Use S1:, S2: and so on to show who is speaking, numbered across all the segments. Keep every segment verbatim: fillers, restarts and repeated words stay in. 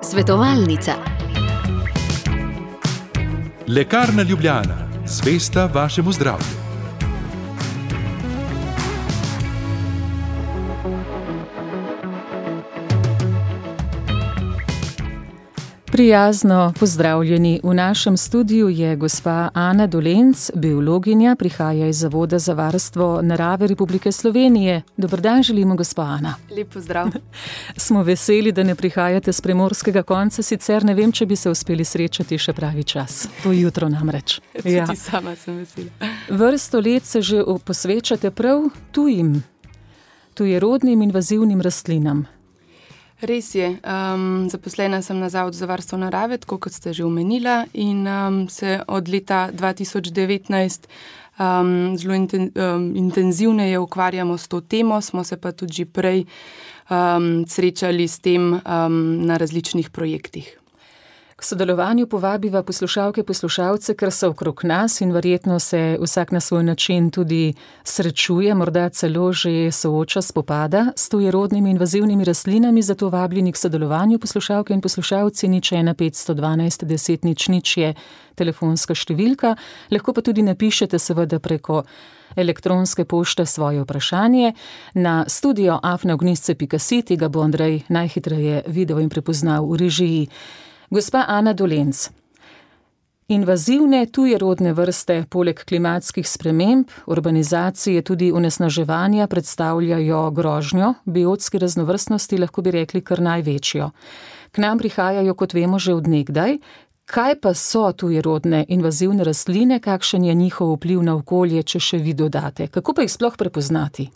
S1: Svetovalnica.
S2: Lekarna Ljubljana, zvesta vašemu zdravju.
S3: Prijazno pozdravljeni. V našem studiu je gospa Ana Dolenc, biologinja, prihaja iz Zavoda za varstvo narave Republike Slovenije. Dober dan želimo, gospa Ana.
S4: Lep pozdrav.
S3: Smo veseli, da ne prihajate s primorskega konca, sicer ne vem, če bi se uspeli srečati še pravi čas. To jutro namreč.
S4: Tudi ja. Sama sem vesela.
S3: Vrsto let se že posvečate prav tujim, tujerodnim invazivnim rastlinam.
S4: Res je. Um, zaposlena sem na Zavodu za varstvo narave, tako kot ste že omenila, in um, se od leta dva tisoč devetnajst um, zelo inten, um, intenzivneje ukvarjamo s to temo, smo se pa tudi že prej um, srečali s tem um, na različnih projektih.
S3: K sodelovanju povabiva poslušalke, poslušalce, ker so okrog nas in verjetno se vsak na svoj način tudi srečuje, morda celo že sooča, spopada s tujerodnimi invazivnimi rastlinami, zato vabljeni k sodelovanju poslušalke in poslušalci. Nič ena petsto dvanajst deset nič nič je telefonska številka, lahko pa tudi napišete seveda preko elektronske pošte svoje vprašanje na studio afna ognjišče pika si, tega bo Andrej najhitreje videl in prepoznal v režiji. Gospa Ana Dolenc, invazivne tujerodne vrste poleg klimatskih sprememb, urbanizacije, tudi onesnaževanja predstavljajo grožnjo biotski raznovrstnosti, lahko bi rekli kar največjo. K nam prihajajo, kot vemo, že od nekdaj. Kaj pa so tujerodne invazivne rastline, kakšen je njihov vpliv na okolje, če še vi dodate? Kako pa jih sploh prepoznati?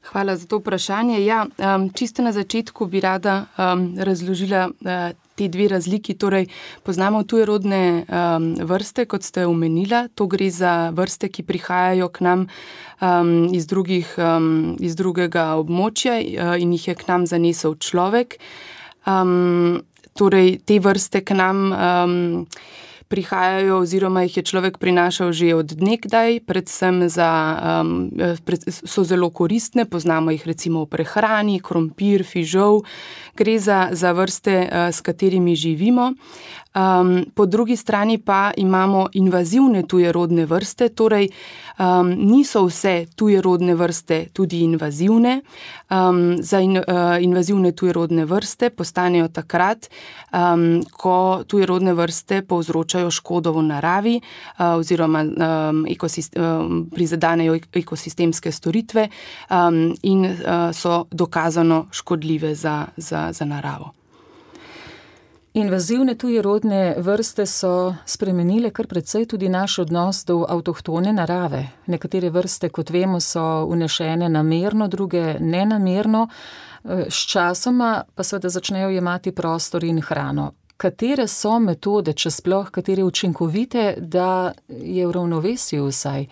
S4: Hvala za to vprašanje. Ja, um, čisto na začetku bi rada um, razložila uh, te dve razliki. Torej, poznamo tujerodne um, vrste, kot ste omenila. To gre za vrste, ki prihajajo k nam um, iz, drugih, um, iz drugega območja uh, in jih je k nam zanesel človek. Um, torej, te vrste k nam um, prihajajo oziroma jih je človek prinašal že od nekdaj, predvsem za, um, pred, so zelo koristne, poznamo jih recimo v prehrani, krompir, fižol, gre za, za vrste, uh, s katerimi živimo. Um, po drugi strani pa imamo invazivne tujerodne vrste, torej um, niso vse tujerodne vrste tudi invazivne. Um, za in, uh, invazivne tujerodne vrste postanejo takrat, um, ko tujerodne vrste povzročajo škodo v naravi uh, oziroma um, ekosist, um, prizadanejo ekosistemske storitve um, in uh, so dokazano škodljive za, za, za naravo.
S3: Invazivne tujerodne vrste so spremenile kar precej tudi naš odnos do avtohtone narave. Nekatere vrste, kot vemo, so vnešene namerno, druge nenamerno. S časoma pa seveda začnejo jemati prostor in hrano. Katere so metode, če sploh, katere učinkovite, da je v ravnovesju vsaj?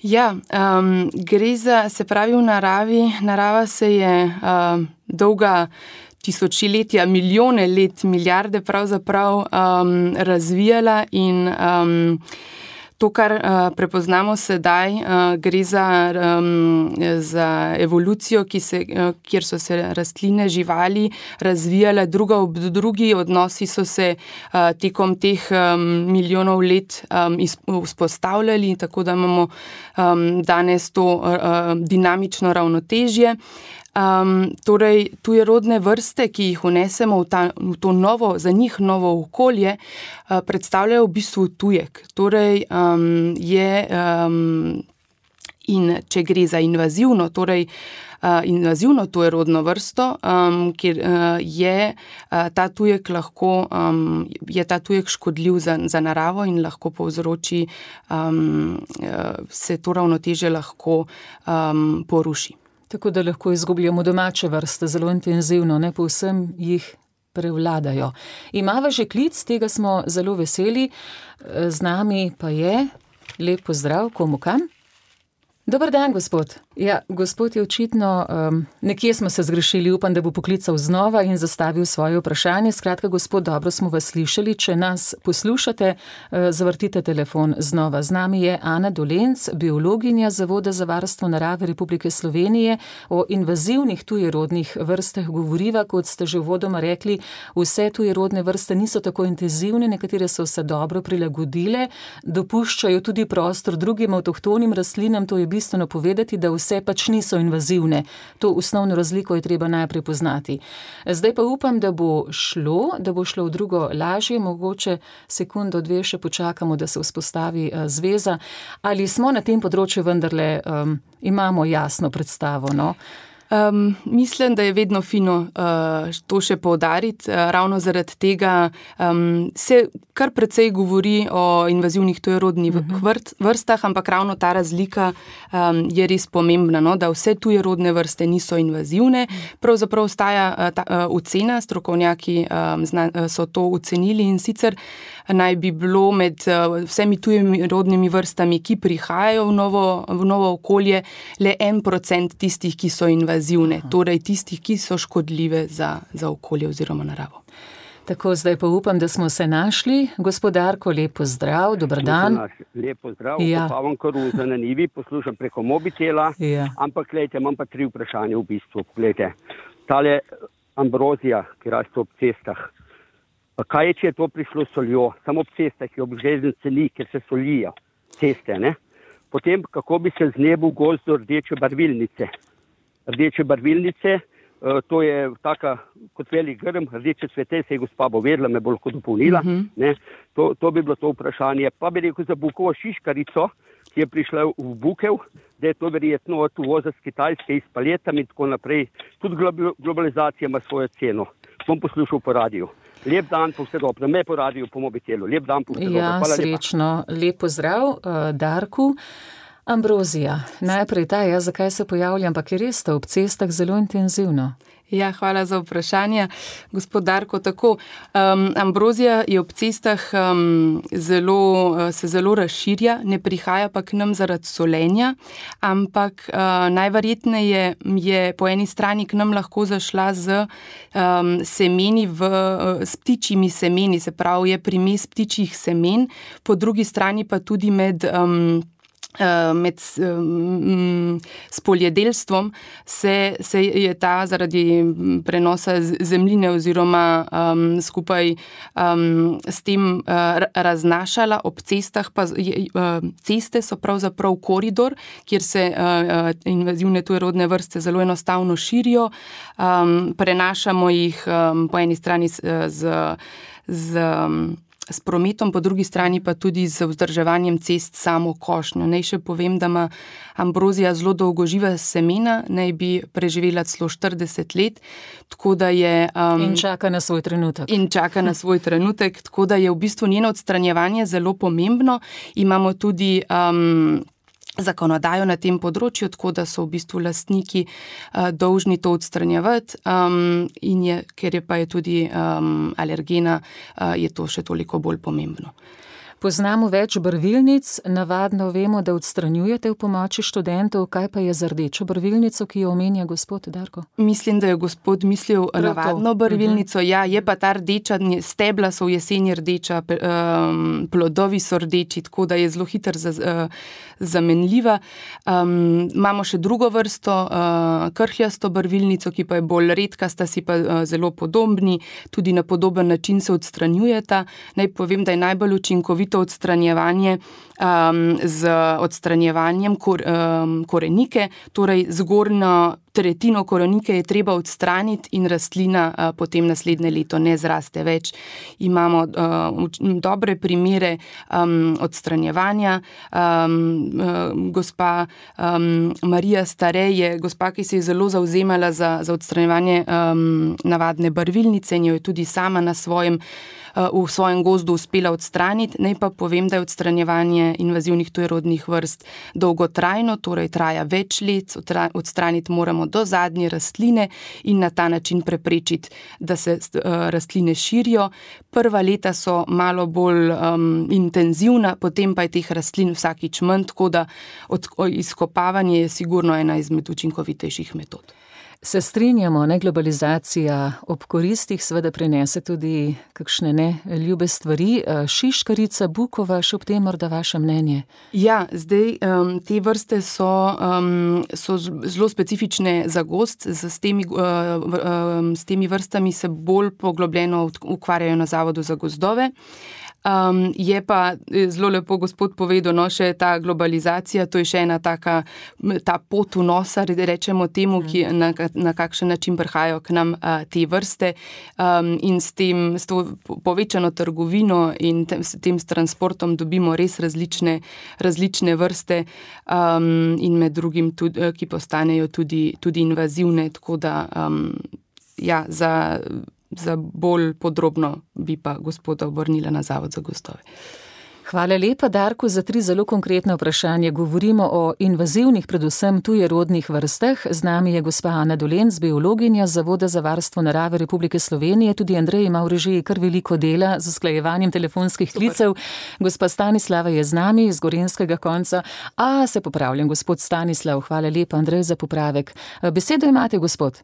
S4: Ja, um, gre za, se pravi, v naravi. Narava se je um, dolga tisočiletja, milijone let, milijarde pravzaprav um, razvijala in um, to, kar uh, prepoznamo sedaj, uh, gre za, um, za evolucijo, ki se, uh, kjer so se rastline, živali razvijale druga ob drugi, odnosi so se uh, tekom teh um, milijonov let um, vzpostavljali, tako da imamo um, danes to uh, dinamično ravnotežje. Um, torej, tujerodne vrste, ki jih vnesemo v, ta, v to novo, za njih novo okolje, uh, predstavljajo v bistvu tujek. Torej, um, je, um, in če gre za invazivno, torej uh, invazivno tujerodno vrsto, um, kjer uh, je uh, ta tujek lahko, um, je ta tujek škodljiv za, za naravo in lahko povzroči, um, uh, se to ravnotežje lahko um, poruši.
S3: Tako da lahko izgubljamo domače vrste zelo intenzivno, ne povsem jih prevladajo. Imava že klic, tega smo zelo veseli, z nami pa je, lep pozdrav, komu kam? Dober dan, gospod. Ja, gospod je očitno, um, nekje smo se zgrešili, upam, da bo poklical znova in zastavil svoje vprašanje. Skratka, gospod, dobro smo vas slišali. Če nas poslušate, uh, zavrtite telefon znova. Z nami je Ana Dolenc, biologinja Zavoda za varstvo narave Republike Slovenije. O invazivnih tujerodnih vrstah govoriva, kot ste že uvodoma rekli, vse tujerodne vrste niso tako intenzivne, nekatere so se dobro prilagodile, dopuščajo tudi prostor drugim avtohtonim rastlinam, to je bistveno povedati, da vse pač niso invazivne. To osnovno razliko je treba najprej poznati. Zdaj pa upam, da bo šlo, da bo šlo v drugo lažje, mogoče sekundo, dve še počakamo, da se vzpostavi uh, zveza. Ali smo na tem področju vendarle, um, imamo jasno predstavo, no?
S4: Um, mislim, da je vedno fino uh, to še poudariti. Uh, ravno zaradi tega um, se kar precej govori o invazivnih tujerodnih uh-huh. vrstah, ampak ravno ta razlika um, je res pomembna, no? Da vse tujerodne vrste niso invazivne. Pravzaprav ostaja uh, ta uh, ocena, strokovnjaki um, zna, uh, so to ocenili in sicer naj bi bilo med uh, vsemi tujerodnimi vrstami, ki prihajajo v novo, v novo okolje, le en procent tistih, ki so invazivne. Zivne, torej tistih, ki so škodljive za, za okolje oziroma naravo.
S3: Tako, zdaj pa upam, da smo se našli. Gospodarko, lep pozdrav, dober dan.
S1: Lep pozdrav, ja. Popavam koruza na nivi, poslušam preko mobitela, ja. Ampak gledajte, imam pa tri vprašanja v bistvu. Gledajte, tale ambrozija, ki raste ob cestah, kaj je, če je to prišlo soljo? Samo ob cestah, ki ob železnici ni, ker se solijo ceste, ne? Potem, kako bi se znebil gozd rdeče barvilnice? Rdeče barvilnice, to je taka kot velik grm, rdeče cvete, se je gospa bo vedela, me bo lahko dopolnila. Uh-huh. Ne? To, to bi bilo to vprašanje. Pa bi rekel za bukovo šiškarico, ki je prišla v Bukev, da je to verjetno od uvoza z Kitajske, iz paletami in tako naprej. Tudi globalizacija ima svojo ceno. Bom poslušal po radiju. Lep dan, po vse dobro. Me po radiju, po mobitelu. Lep dan, po vse dobro.
S3: Ja, srečno. Lep pozdrav, uh, Darku. Ambrozija. Najprej ta, ja, zakaj se pojavlja, ampak je res to ob cestah zelo intenzivno.
S4: Ja, hvala za vprašanje. Gospod Darko, tako, um, ambrozija je ob cestah um, zelo, se zelo razširja, ne prihaja pa k nam zaradi solenja, ampak uh, najverjetneje je po eni strani k nam lahko zašla z um, semeni, v, uh, s ptičjimi semeni, se pravi je primes ptičjih semen, po drugi strani pa tudi med um, med um, spoljedelstvom se, se je ta zaradi prenosa zemljine oziroma um, skupaj um, s tem uh, raznašala. Ob cestah pa je, uh, ceste so pravzaprav koridor, kjer se uh, invazivne tujerodne vrste zelo enostavno širijo. Um, prenašamo jih um, po eni strani z, z, z um, s prometom, po drugi strani pa tudi z vzdrževanjem cest samo košnjo. Naj še povem, da ima ambrozija zelo dolgoživa semena, naj bi preživela celo štirideset let, tako da je... Um,
S3: in čaka na svoj trenutek.
S4: In čaka na svoj trenutek, tako da je v bistvu njeno odstranjevanje zelo pomembno. Imamo tudi... Um, zakonodajo na tem področju, tako da so v bistvu lastniki uh, dolžni to odstranjevati um, in je, ker je pa je tudi um, alergena, uh, je to še toliko bolj pomembno.
S3: Poznamo več barvilnic, navadno vemo, da odstranjujete v pomoči študentov, kaj pa je za rdečo barvilnico, ki jo omenja gospod Darko?
S4: Mislim, da je gospod mislil Prav navadno to. barvilnico, uh-huh. ja, je pa ta rdeča, stebla so v jeseni rdeča, um, plodovi so rdeči, tako da je zelo hitro za, uh, zamenljiva. Um, imamo še drugo vrsto, uh, krhljasto barvilnico, ki pa je bolj redka, sta si pa uh, zelo podobni, tudi na podoben način se odstranjujeta. Naj povem, da je najbolj učinkovito odstranjevanje um, z odstranjevanjem kor, um, korenike, torej zgornjo tretjino korenike je treba odstraniti in rastlina uh, potem naslednje leto ne zraste več. Imamo uh, dobre primere um, odstranjevanja. Um, uh, gospa um, Marija Stare je gospa, ki se je zelo zavzemala za, za odstranjevanje um, navadne barvilnice in jo je tudi sama na svojem v svojem gozdu uspela odstraniti. Naj pa povem, da je odstranjevanje invazivnih tujerodnih vrst dolgotrajno, torej traja več let, odstraniti moramo do zadnje rastline in na ta način preprečiti, da se rastline širijo. Prva leta so malo bolj um, intenzivna, potem pa je teh rastlin vsakič manj, tako da od, izkopavanje je sigurno ena izmed učinkovitejših metod.
S3: Se strinjamo, ne, globalizacija ob koristih seveda prinese tudi kakšne ne ljube stvari. Šiškarica, bukova, še ob tem morda vaše mnenje?
S4: Ja, zdaj um, te vrste so, um, so zelo specifične za gozd, s temi, uh, um, s temi vrstami se bolj poglobljeno ukvarjajo na Zavodu za gozdove. Um, je pa zelo lepo gospod povedal, no, še ta globalizacija, to je še ena taka, ta pot vnosa, rečemo temu, ki, na, na kakšen način prihajajo k nam uh, te vrste um, in s tem, s to povečano trgovino in tem, s tem s transportom dobimo res različne, različne vrste um, in med drugim tudi, ki postanejo tudi, tudi invazivne, tako da um, ja, za Za bolj podrobno bi pa gospoda obrnila na Zavod za gozdove.
S3: Hvala lepa, Darko, za tri zelo konkretne vprašanja. Govorimo o invazivnih, predvsem tujerodnih vrstah. Z nami je gospa Ana Dolenc, biologinja Zavoda za varstvo narave Republike Slovenije. Tudi Andrej ima v režiji kar veliko dela z usklajevanjem telefonskih klicev. Gospa Stanislava je z nami iz Gorenjskega konca. A, se popravljam, gospod Stanislav. Hvala lepa, Andrej, za popravek. Besedo imate, gospod.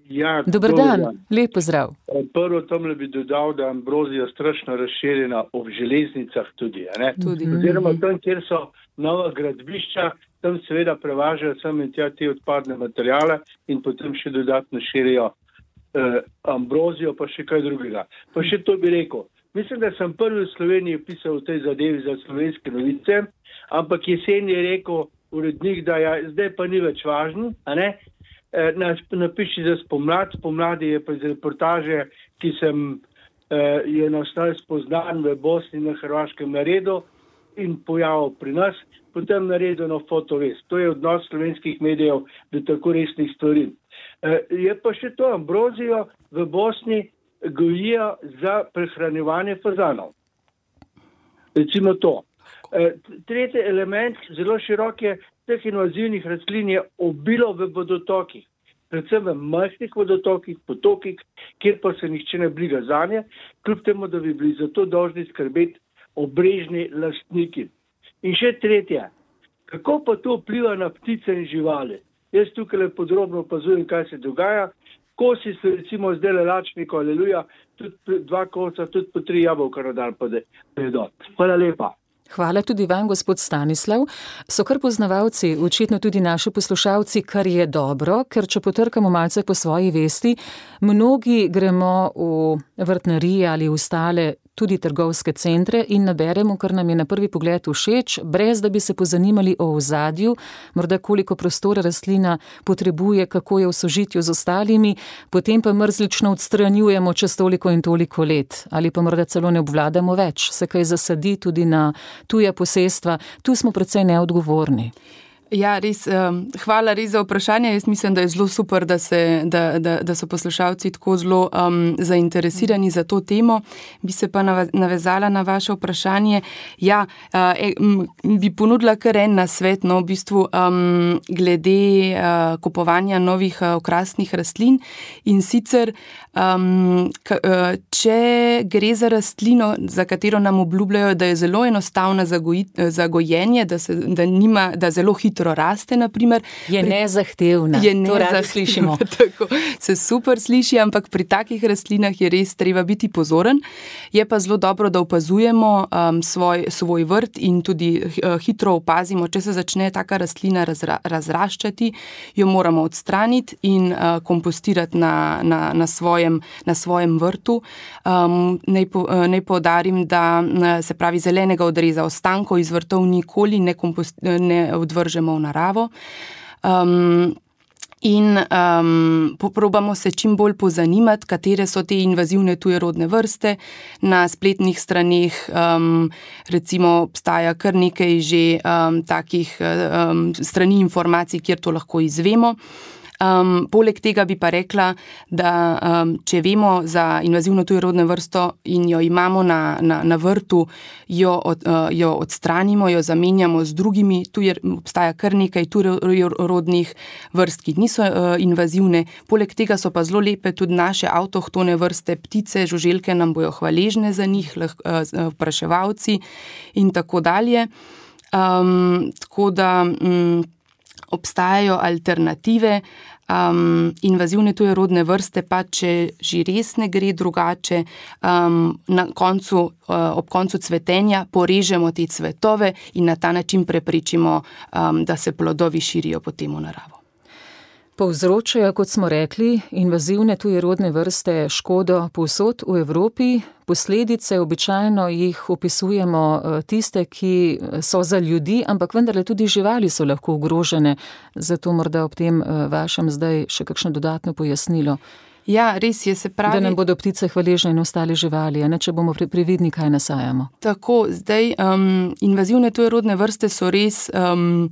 S5: Ja,
S3: Dobar dan, dan, lep pozdrav.
S5: Prvo tomle bi dodal, da je ambrozija strašno razširjena ob železnicah tudi. Ne?
S4: tudi.
S5: Oziroma tam, kjer so nova gradbišča, tam seveda prevažajo sem in tja te odpadne materijale in potem še dodatno širijo eh, ambrozijo, pa še kaj drugega. Pa še to bi rekel. Mislim, da sem prvi v Sloveniji pisal v tej zadevi za Slovenske novice, ampak jesen je rekel urednik, da ja, zdaj pa ni več važno, a ne? Napiši za spomlad, spomladi je pa iz reportaže, ki sem eh, je nastal spoznan v Bosni na Hrvaškem naredil in pojavil pri nas, potem naredil na fotovest. To je odnos slovenskih medijev do tako resnih stvari. Eh, je pa še to, ambrozijo v Bosni gojijo za prehranjevanje fazanov. Recimo to. Eh, tretji element, zelo širok je, teh invazivnih rastlin je obilo v vodotokih, predvsem v majhnih vodotokih, potokih, kjer pa se nihče ne briga zanje, kljub temu, da bi bili zato dolžni skrbeti obrežni lastniki. In še tretje, kako pa to vpliva na ptice in živali? Jaz tukaj podrobno opazujem, kaj se dogaja. Kosi so recimo zdaj lačniko, aleluja, tudi dva kosa, tudi po tri jabolka na dan pa jedo. Hvala lepa.
S3: Hvala tudi vam, gospod Stanislav. So kar poznavalci, očitno tudi naši poslušalci, kar je dobro, ker če potrkamo malce po svoji vesti, mnogi gremo v vrtnarije ali v ostale tudi trgovske centre in naberemo, kar nam je na prvi pogled všeč, brez da bi se pozanimali o ozadju, morda koliko prostora rastlina potrebuje, kako je v sožitju z ostalimi, potem pa mrzlično odstranjujemo čez toliko in toliko let. Ali pa morda celo ne obvladamo več, se kaj zasadi tudi na tuja posestva. Tu smo precej neodgovorni.
S4: Ja, res, um, hvala res za vprašanje. Jaz mislim, da je zelo super, da, se, da, da, da so poslušalci tako zelo um, zainteresirani za to temo. Bi se pa navezala na vaše vprašanje. Ja, uh, e, m, bi ponudila kar en nasvet, no, v bistvu um, glede uh, kupovanja novih uh, okrasnih rastlin. In sicer, um, k, uh, če gre za rastlino, za katero nam obljubljajo, da je zelo enostavna za, goji, za gojenje, da, se, da, nima, da zelo hitro raste, naprimer.
S3: Je nezahtevna.
S4: Je nezahtevna. Tako se super sliši, ampak pri takih rastlinah je res treba biti pozoren. Je pa zelo dobro, da opazujemo um, svoj, svoj vrt in tudi uh, hitro opazimo, če se začne taka rastlina razra, razraščati, jo moramo odstraniti in uh, kompostirati na, na, na, svojem, na svojem vrtu. Um, naj, po, uh, naj poudarim, da uh, se pravi zelenega odreza ostankov iz vrtov nikoli ne, kompost, ne odvržemo v naravo. Um, in um, poprobamo se čim bolj pozanimati, katere so te invazivne tujerodne vrste. Na spletnih straneh um, recimo obstaja kar nekaj že um, takih um, strani informacij, kjer to lahko izvemo. Um, poleg tega bi pa rekla, da um, če vemo za invazivno tujerodno vrsto in jo imamo na, na, na vrtu, jo, od, uh, jo odstranimo, jo zamenjamo z drugimi, tu je, obstaja kar nekaj tujerodnih vrst, ki niso uh, invazivne. Poleg tega so pa zelo lepe tudi naše avtohtone vrste, ptice, žuželke nam bojo hvaležne za njih, lah, uh, vpraševalci in tako dalje. Um, tako da um, obstajajo alternative, um, invazivne tujerodne vrste, pa če že res ne gre drugače, um, na koncu, uh, ob koncu cvetenja porežemo te cvetove in na ta način preprečimo, um, da se plodovi širijo potem v naravo.
S3: Povzročajo, kot smo rekli, invazivne tujerodne vrste škodo povsod v Evropi. Posledice običajno jih opisujemo tiste, ki so za ljudi, ampak vendarle tudi živali so lahko ogrožene. Zato morda ob tem vašem zdaj še kakšno dodatno pojasnilo.
S4: Ja, res je, se pravi.
S3: Da nam bodo ptice hvaležne in ostale živali, a ne, če bomo previdni, kaj nasajamo.
S4: Tako, zdaj um, invazivne tujerodne vrste so res Um,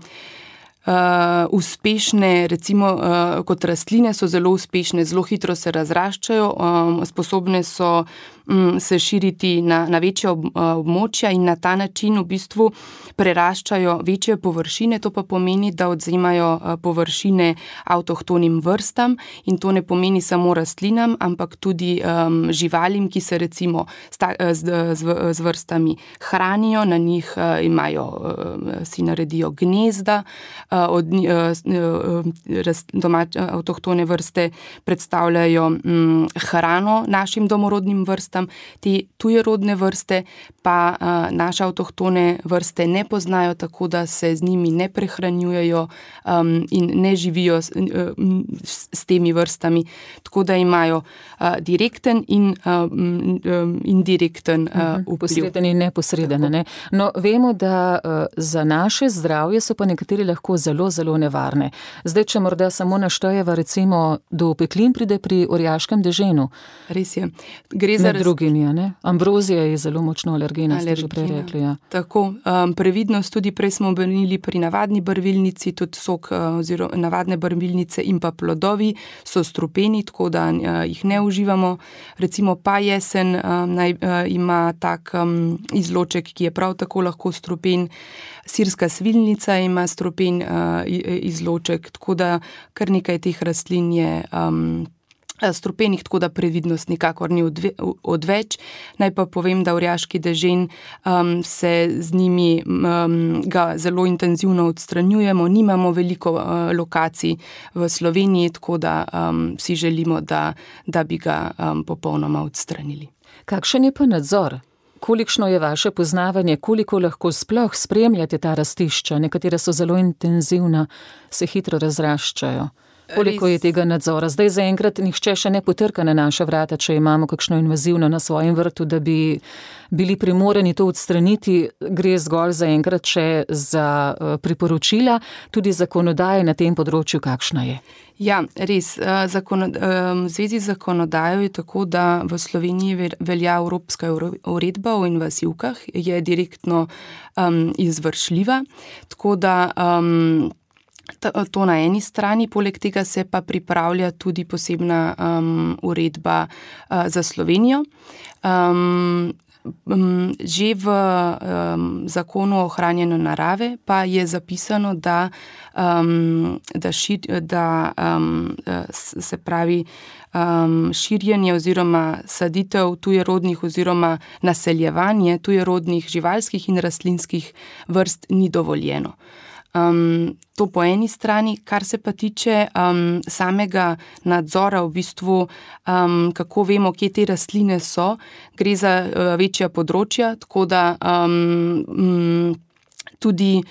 S4: Uh, uspešne, recimo uh, kot rastline so zelo uspešne, zelo hitro se razraščajo, um, sposobne so um, se širiti na, na večje ob, uh, območja in na ta način v bistvu preraščajo večje površine, to pa pomeni, da odvzemajo uh, površine avtohtonim vrstam in to ne pomeni samo rastlinam, ampak tudi um, živalim, ki se recimo sta, z, z, z vrstami hranijo, na njih uh, imajo, uh, si naredijo gnezda, uh, Od, domač, avtohtone vrste predstavljajo m, hrano našim domorodnim vrstam, te tujerodne vrste pa a, naše avtohtone vrste ne poznajo, tako da se z njimi ne prehranjujejo um, in ne živijo s, um, s temi vrstami, tako da imajo a, direkten in um, indirekten uh, vpliv.
S3: Posreden in neposreden. Ne? No, vemo, da uh, za naše zdravje so pa nekateri lahko zelo, zelo nevarne. Zdaj, če morda samo naštejeva, recimo, do opeklin pride pri orjaškem deženu.
S4: Res je. Gre za
S3: Med drugimi, ne? Ambrozija je zelo močno alergena, ste že prej rekli. Ja.
S4: Tako, um, previdnost tudi prej smo omenili pri navadni barvilnici, tudi sok uh, oziroma navadne barvilnice in pa plodovi so strupeni, tako da uh, jih ne uživamo. Recimo pa jesen um, naj, uh, ima tak um, izloček, ki je prav tako lahko strupen. Sirska svilnica ima strupen uh, izloček, tako da kar nekaj teh rastlin je um, strupenih, tako da previdnost nikakor ni odve, odveč. Naj pa povem, da orjaški dežen um, se z njimi um, ga zelo intenzivno odstranjujemo, nimamo veliko uh, lokacij v Sloveniji, tako da um, si želimo, da, da bi ga um, popolnoma odstranili.
S3: Kakšen je pa nadzor? Kolikšno je vaše poznavanje, koliko lahko sploh spremljate ta rastišča? Nekatera so zelo intenzivna, se hitro razraščajo. Koliko je tega nadzora? Zdaj zaenkrat nihče še ne potrka na naša vrata, če imamo kakšno invazivno na svojem vrtu, da bi bili primorani to odstraniti. Gre zgolj zaenkrat še za priporočila, tudi zakonodaje na tem področju, kakšna je?
S4: Ja, res. V zvezi z zakonodajo je tako, da v Sloveniji velja Evropska uredba o invazivkah, je direktno um, izvršljiva, tako da um, to na eni strani, poleg tega se pa pripravlja tudi posebna um, uredba uh, za Slovenijo. Um, Že v um, zakonu o ohranjanju narave pa je zapisano, da, um, da, šir, da um, se pravi um, širjenje oziroma saditev tujerodnih oziroma naseljevanje tujerodnih živalskih in rastlinskih vrst ni dovoljeno. Um, to po eni strani, kar se pa tiče um, samega nadzora, v bistvu, um, kako vemo, kje te rastline so, gre za uh, večja področja, tako da um, um, tudi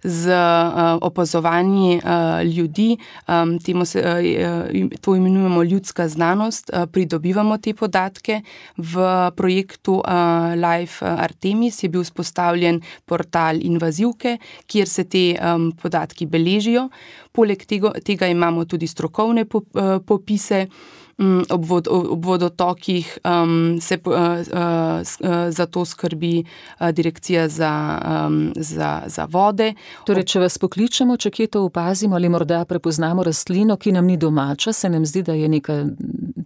S4: z uh, opazovanji uh, ljudi, um, temu se, uh, to imenujemo ljudska znanost, uh, pridobivamo te podatke. V projektu uh, Life Artemis je bil vzpostavljen portal invazivke, kjer se te um, podatki beležijo. Poleg tega, tega imamo tudi strokovne popise, Ob, vod, ob vodotokih um, se uh, uh, za to skrbi uh, direkcija za, um, za, za vode.
S3: Torej, če vas pokličemo, če kje to opazimo ali morda prepoznamo rastlino, ki nam ni domača, se nam zdi, da je neka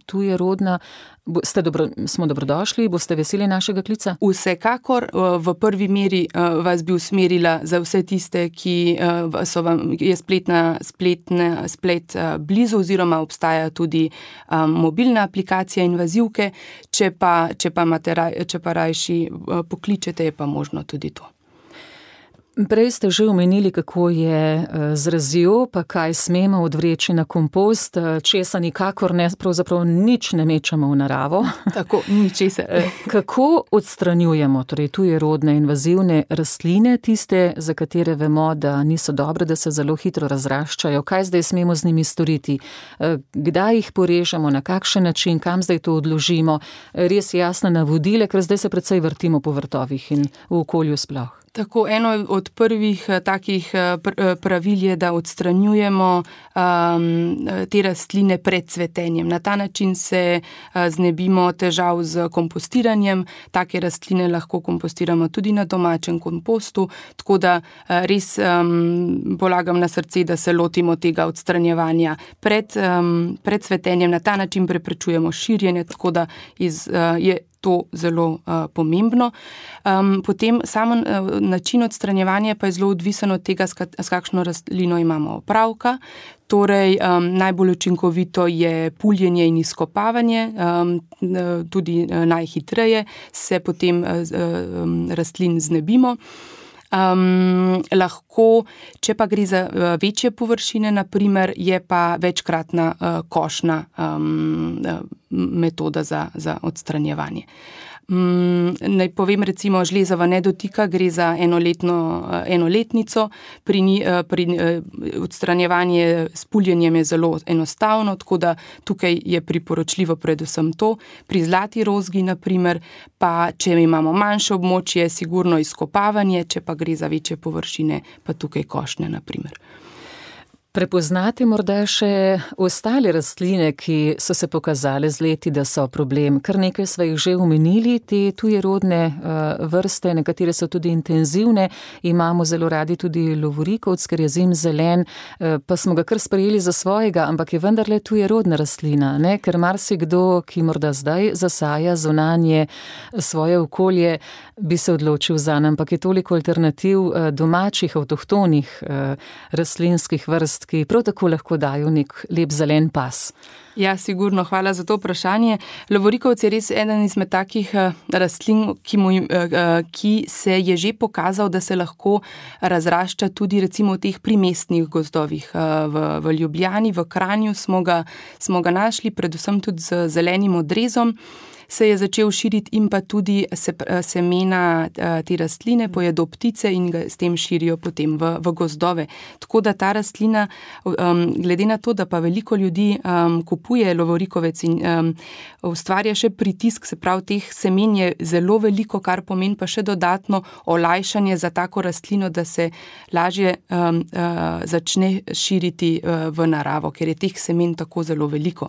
S3: tujerodna, ste dobro, smo dobrodošli, boste veseli našega klica?
S4: Vsekakor, v prvi meri vas bi usmerila za vse tiste, ki so vam, je spletna, spletna, splet blizu oziroma obstaja tudi um, mobilna aplikacija invazivke, če pa, če pa, raj, če pa rajši pokličete, je pa možno tudi to.
S3: Prej ste že omenili, kako je z razjo, pa kaj smemo odvreči na kompost, česa nikakor ne, pravzaprav nič ne mečemo v naravo.
S4: Tako, ničesa.
S3: Kako odstranjujemo torej tujerodne invazivne rastline, tiste, za katere vemo, da niso dobre, da se zelo hitro razraščajo? Kaj zdaj smemo z njimi storiti? Kdaj jih porežemo, na kakšen način, kam zdaj to odložimo? Res jasne navodile, ker zdaj se precej vrtimo po vrtovih in v okolju sploh.
S4: Tako, eno od prvih takih pravil je, da odstranjujemo um, te rastline pred cvetenjem. Na ta način se znebimo težav z kompostiranjem. Take rastline lahko kompostiramo tudi na domačem kompostu, tako da res um, polagam na srce, da se lotimo tega odstranjevanja pred, um, pred cvetenjem. Na ta način preprečujemo širjenje, tako da iz, uh, je to zelo uh, pomembno. Um, potem samo uh, način odstranjevanja pa je zelo odvisen od tega, s, kat, s kakšno rastlino imamo opravka. Torej, um, najbolj učinkovito je puljenje in izkopavanje, um, tudi uh, najhitreje se potem uh, um, rastlin znebimo. Um, lahko, če pa gre za uh, večje površine, naprimer, je pa večkratna uh, košnja um, uh, metoda za, za odstranjevanje. Um, naj povem recimo, žlezava ne dotika, gre za enoletno, uh, enoletnico, pri, uh, pri uh, odstranjevanje s puljenjem je zelo enostavno, tako da tukaj je priporočljivo predvsem to. Pri zlati rozgi, naprimer, pa če imamo manjše območje, sigurno izkopavanje, če pa gre za večje površine, pa tukaj košnje, naprimer.
S3: Prepoznate morda še ostale rastline, ki so se pokazale z leti, da so problem. Kar nekaj sva jih že omenili, te tujerodne uh, vrste, nekatere so tudi intenzivne, imamo zelo radi tudi lovorikovc, ker je zimzelen, uh, pa smo ga kar sprejeli za svojega, ampak je vendarle tujerodna rastlina, ne? Ker marsikdo, ki morda zdaj zasaja zunanje svoje okolje, bi se odločil zanj, ampak je toliko alternativ uh, domačih, avtohtonih uh, rastlinskih vrst, ki prav tako lahko dajo nek lep zelen pas.
S4: Ja, sigurno, hvala za to vprašanje. Lovorikovc je res eden izmed takih uh, rastlin, ki, mu, uh, ki se je že pokazal, da se lahko razrašča tudi recimo v teh primestnih gozdovih. Uh, v, v Ljubljani, v Kranju smo ga, smo ga našli, predvsem tudi z zelenim odrezom. Se je začel širiti in pa tudi se, semena te rastline pojedo ptice in ga s tem širijo potem v, v gozdove. Tako da ta rastlina, um, glede na to, da pa veliko ljudi um, kupuje lovorikovec in um, ustvarja še pritisk, se pravi, teh semen je zelo veliko, kar pomeni pa še dodatno olajšanje za tako rastlino, da se lažje um, uh, začne širiti uh, v naravo, ker je teh semen tako zelo veliko.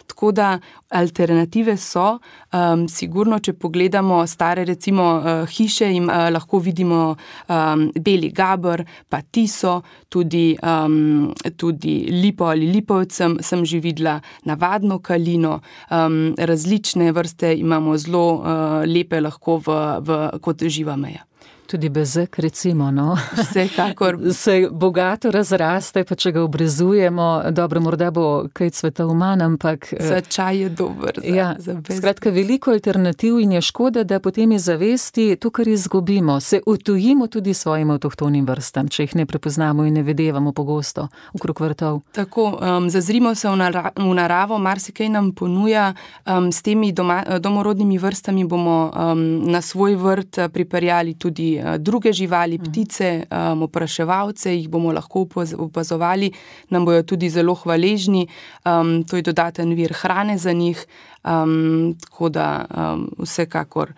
S4: Tako da alternative so, um, sigurno, če pogledamo stare recimo uh, hiše in uh, lahko vidimo um, beli gaber, pa tiso, tudi, um, tudi lipo ali lipovec sem, sem že videla, navadno kalino, um, različne vrste imamo zelo uh, lepe lahko v, v, kot živa meja.
S3: Tudi bezek, recimo, no.
S4: Vsekakor.
S3: Se bogato razraste, pa če ga obrezujemo, dobro, morda bo kaj cvetov manj, ampak...
S4: Za čaj je dober, za,
S3: ja,
S4: za bezek.
S3: Skratka, veliko alternativ in je škoda, da potem iz zavesti to, kar izgubimo, se utujimo tudi svojim avtohtonim vrstam, če jih ne prepoznamo in ne vedevamo pogosto okrog vrtov.
S4: Tako, um, zazrimo se v, nara- v naravo, marsikaj nam ponuja, um, s temi doma, domorodnimi vrstami bomo um, na svoj vrt pripeljali tudi druge živali, ptice, um, opraševalce, jih bomo lahko opazovali, nam bojo tudi zelo hvaležni, um, to je dodaten vir hrane za njih, um, tako da um, vsekakor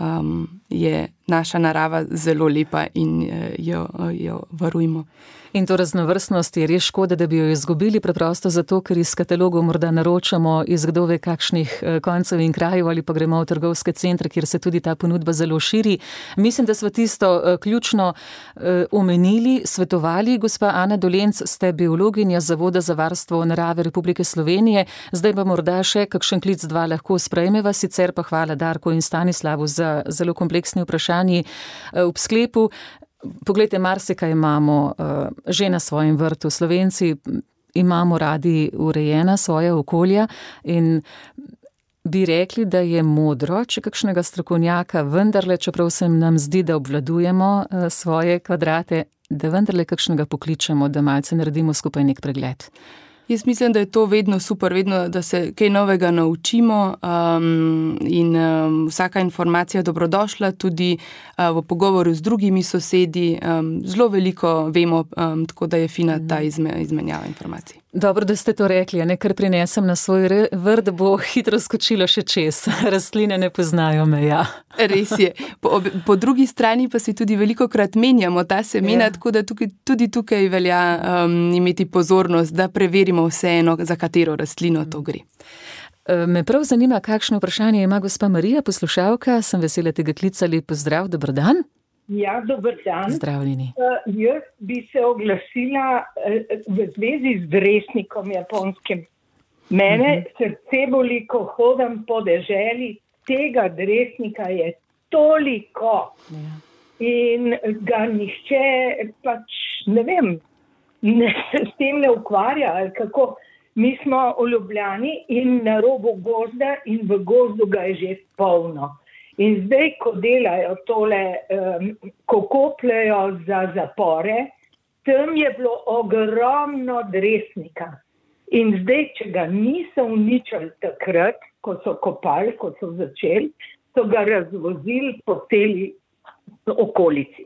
S4: um, je naša narava zelo lepa in jo, jo varujmo.
S3: In to raznovrstnost je res škoda, da bi jo izgubili, preprosto zato, ker iz katalogov morda naročamo iz kdo ve kakšnih koncev in krajev ali pa gremo v trgovske centre, kjer se tudi ta ponudba zelo širi. Mislim, da smo tisto ključno omenili, svetovali. Gospa Ana Dolenc, ste biologinja Zavoda za varstvo narave Republike Slovenije. Zdaj pa morda še kakšen klic dva lahko sprejmeva, sicer pa hvala Darku in Stanislavu za zelo kompleksni vprašanji ob sklepu. Poglejte, marsikaj imamo uh, že na svojem vrtu. Slovenci imamo radi urejena svoja okolja in bi rekli, da je modro, če kakšnega strokovnjaka vendarle, čeprav se nam zdi, da obvladujemo uh, svoje kvadrate, da vendarle kakšnega pokličemo, da malce naredimo skupaj nek pregled.
S4: Jaz mislim, da je to vedno super, vedno, da se kaj novega naučimo um, in um, vsaka informacija je dobrodošla, tudi uh, v pogovoru z drugimi sosedi. Um, zelo veliko vemo, um, tako da je fina ta izme, izmenjava informacij.
S3: Dobro, da ste to rekli, a ne kar prinesem na svoj vrt, bo hitro skočilo še čez. Rastline ne poznajo meja.
S4: Res je. Po, po drugi strani pa si tudi veliko krat menjamo ta semena, ja. Tako da tukaj, tudi tukaj velja um, imeti pozornost, da preverimo vseeno, za katero rastlino to gre.
S3: Me prav zanima, kakšno vprašanje ima gospa Marija, poslušalka. Sem vesela tega klicali. Pozdrav, dober dan.
S6: Ja, dober dan.
S3: Zdravljeni.
S6: Uh, jaz bi se oglasila uh, v zvezi z dresnikom japonskim. Mene uh-huh. srce boli, ko hodam po deželi, tega dresnika je toliko. Ja. In ga nihče pač, ne vem, ne, s tem ne ukvarja, ali kako. Mi smo v Ljubljani in na robu gozda in v gozdu ga je že polno. In zdaj, ko delajo tole, um, ko kopljajo za zapore, tam je bilo ogromno dresnika. In zdaj, če ga niso uničili takrat, ko so kopali, ko so začeli, so ga razvozili po celi okolici.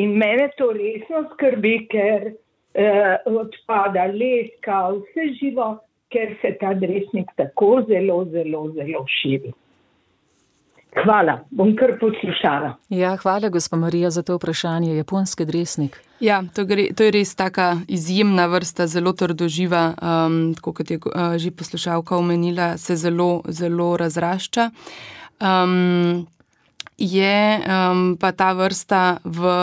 S6: In mene to resno skrbi, ker uh, odpada leska, vse živo, ker se ta dresnik tako zelo, zelo, zelo širi. Hvala, bom kar poslušala.
S3: Ja, hvala, gospa Marija, za to vprašanje. Japonski dresnik.
S4: Ja, to, gre, to je res taka izjemna vrsta, zelo trdoživa, um, tako kot je uh, že poslušalka omenila, se zelo, zelo razrašča. Um, je um, pa ta vrsta v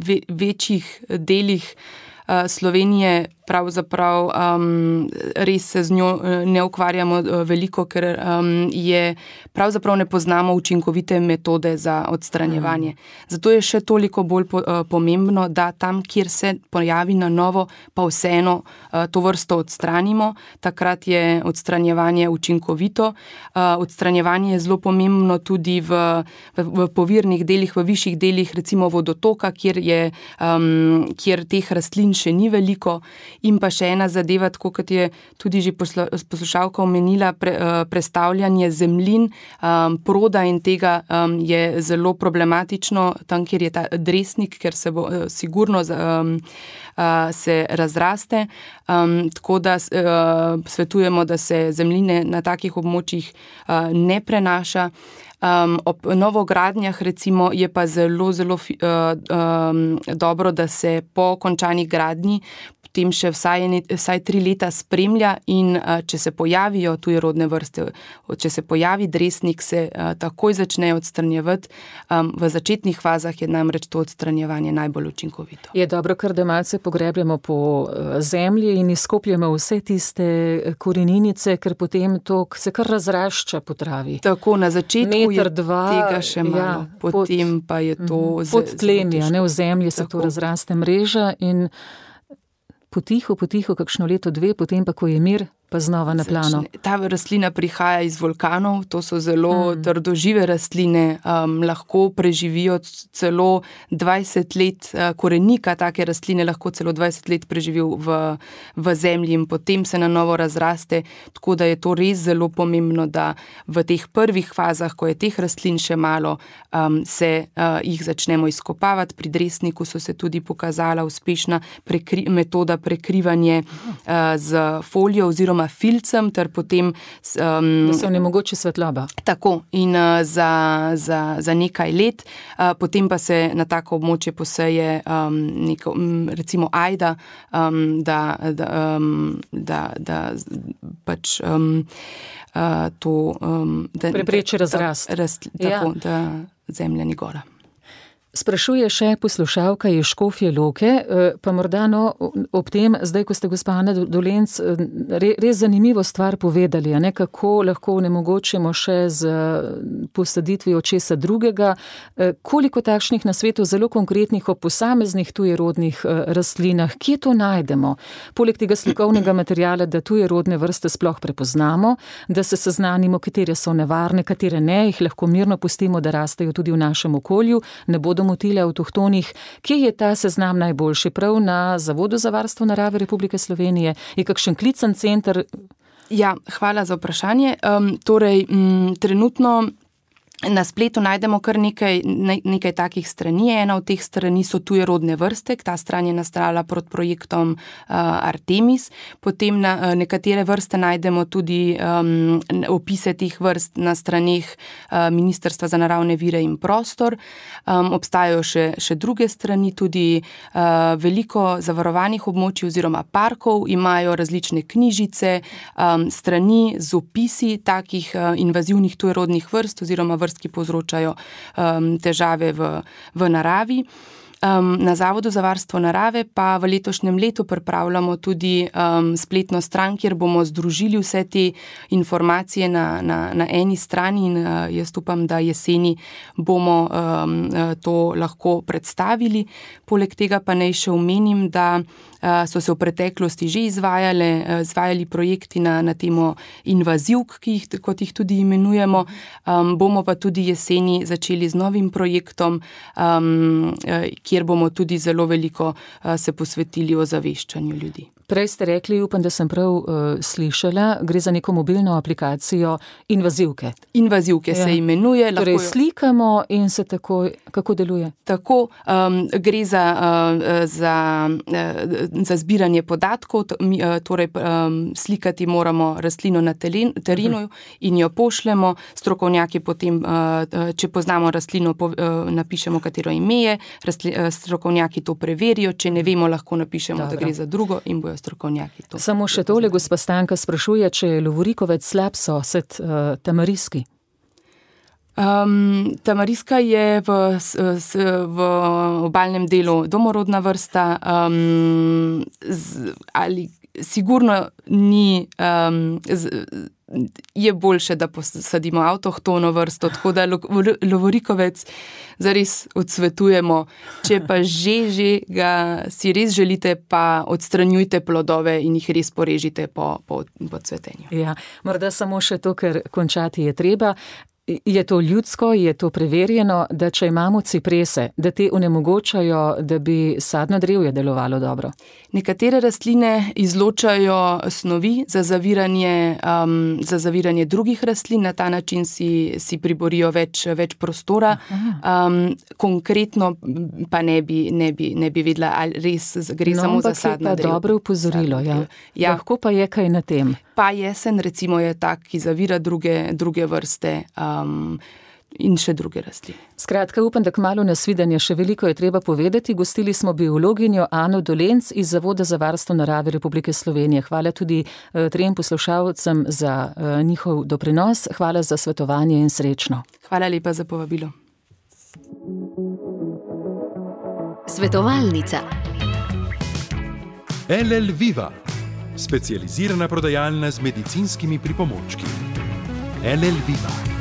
S4: ve, večjih delih uh, Slovenije pravzaprav um, res se z njo ne ukvarjamo veliko, ker um, je pravzaprav ne poznamo učinkovite metode za odstranjevanje. Zato je še toliko bolj po, uh, pomembno, da tam, kjer se pojavi na novo, pa vseeno uh, to vrsto odstranimo. Takrat je odstranjevanje učinkovito. Uh, odstranjevanje je zelo pomembno tudi v, v, v povirnih delih, v višjih delih, recimo vodotoka, kjer, je, um, kjer teh rastlin še ni veliko. In pa še ena zadeva, tako kot je tudi že poslušalka omenila, pre, prestavljanje zemljin, um, proda in tega um, je zelo problematično tam, kjer je ta dresnik, ker se bo uh, sigurno um, uh, se razraste. Um, tako da uh, svetujemo, da se zemljine na takih območjih uh, ne prenaša. Um, ob novogradnjah recimo je pa zelo, zelo uh, um, dobro, da se po končani gradnji potem še vsaj, vsaj tri leta spremlja in uh, če se pojavijo tujerodne vrste, če se pojavi dresnik, se uh, takoj začne odstranjevati. Um, v začetnih fazah je namreč to odstranjevanje najbolj učinkovito.
S3: Je dobro, ker da malce pogrebljamo po zemlji in izkopljamo vse tiste koreninice, ker potem to se kar razrašča po travi.
S4: Tako, na začetku
S3: Meter, dva,
S4: tega še malo, ja, potem pod, pa je to
S3: pod tlemja, ne, v zemlji se tako. To razraste mreža in potiho, potiho, kakšno leto, dve, potem pa, ko je mir, pa znova na plano.
S4: Ta rastlina prihaja iz vulkanov, to so zelo mm. trdožive rastline, um, lahko preživijo celo dvajset let, uh, korenika take rastline lahko celo dvajset let preživi v, v zemlji in potem se na novo razraste, tako da je to res zelo pomembno, da v teh prvih fazah, ko je teh rastlin še malo, um, se uh, jih začnemo izkopavati. Pri dresniku so se tudi pokazala uspešna prekri- metoda prekrivanje uh, z folijo oziroma oziroma filcem, ter potem...
S3: Um, da se onemogoči svetloba.
S4: Tako, in uh, za, za, za nekaj let, uh, potem pa se na tako območje poseje um, neko, um, recimo ajda, um, da, da, um, da, da pač um, uh, to... Um, da,
S3: prepreči razrast.
S4: Da, rast, tako, ja. Da zemlja ni gora.
S3: Sprašuje še poslušalka iz Škofje Loke, pa morda no, ob tem, zdaj, ko ste gospa Ana Dolenc, res zanimivo stvar povedali, a ne, kako lahko onemogočimo še z posaditvijo česa drugega, koliko takšnih na svetu zelo konkretnih o posameznih tujerodnih rastlinah, kje to najdemo? Poleg tega slikovnega materijala, da tujerodne vrste sploh prepoznamo, da se seznanimo, katere so nevarne, katere ne, jih lahko mirno pustimo, da rastejo tudi v našem okolju, ne bodo motile avtohtonih. Kje je ta seznam najboljši? Prav na Zavodu za varstvo narave Republike Slovenije? Je kakšen klicen center?
S4: Ja, hvala za vprašanje. Um, torej, m, trenutno na spletu najdemo kar nekaj, ne, nekaj takih strani. Ena od teh strani so tujerodne vrste. Ta stran je nastala pod projektom uh, Artemis. Potem na, uh, nekatere vrste najdemo tudi um, opise teh vrst na straneh uh, Ministrstva za naravne vire in prostor. Um, obstajajo še, še druge strani, tudi uh, veliko zavarovanih območij oziroma parkov imajo različne knjižice, um, strani z opisi takih uh, invazivnih tujerodnih vrst oziroma vrst, ki povzročajo um, težave v, v naravi. Um, na Zavodu za varstvo narave pa v letošnjem letu pripravljamo tudi um, spletno stran, kjer bomo združili vse te informacije na, na, na eni strani in uh, jaz upam, da jeseni bomo um, to lahko predstavili. Poleg tega pa naj še omenim, da uh, so se v preteklosti že izvajale, uh, izvajali projekti na, na temo invazivk, ki jih, kot jih tudi imenujemo. Um, bomo pa tudi jeseni začeli z novim projektom, um, kjer bomo tudi zelo veliko uh, se posvetili ozaveščanju ljudi.
S3: Prej ste rekli, upam, da sem prav uh, slišala, gre za neko mobilno aplikacijo invazivke.
S4: Invazivke ja. Se imenuje.
S3: Torej jo... slikamo in se tako, kako deluje?
S4: Tako, um, gre za, uh, za, uh, za zbiranje podatkov, torej um, slikati moramo rastlino na terenu uh-huh. in jo pošljemo, strokovnjaki potem, uh, če poznamo rastlino, po, uh, napišemo, katero ime je, rastli, uh, strokovnjaki to preverijo, če ne vemo, lahko napišemo, Dobro. Da gre za drugo in bojo strokovnjaki to.
S3: Samo še tole, gospa Stanka sprašuje, če je lovorikovec slab sosed uh, tamariski.
S4: Um, tamariska je v, s, v obalnem delu domorodna vrsta, um, z, ali sigurno ni, um, z, je boljše, da posadimo avtohtono vrsto, tako da lovorikovec zares odsvetujemo. Če pa že, že ga si res želite, pa odstranjujte plodove in jih res porežite po, po, po cvetenju.
S3: Ja, morda samo še to, ker končati je treba. Je to ljudsko, je to preverjeno, da če imamo ciprese, da te onemogočajo, da bi sadno drevje delovalo dobro?
S4: Nekatere rastline izločajo snovi za zaviranje, um, za zaviranje drugih rastlin, na ta način si, si priborijo več, več prostora. Um, konkretno pa ne bi, ne bi, ne bi vedela, ali res gre no, samo za sadno drevo.
S3: No, dobro upozorilo, ja. ja. Lahko pa je kaj na tem.
S4: Pa jesen, recimo, je tak, ki zavira druge, druge vrste um, in še druge rastline.
S3: Skratka, upam, da kmalu nasvidenje, še veliko je treba povedati. Gostili smo biologinjo Ano Dolenc iz Zavoda za varstvo narave Republike Slovenije. Hvala tudi uh, trem poslušalcem za uh, njihov doprinos. Hvala za svetovanje in srečno.
S4: Hvala lepa za povabilo.
S2: Svetovalnica. L L Viva. Specializirana prodajalna z medicinskimi pripomočki. L L Viva.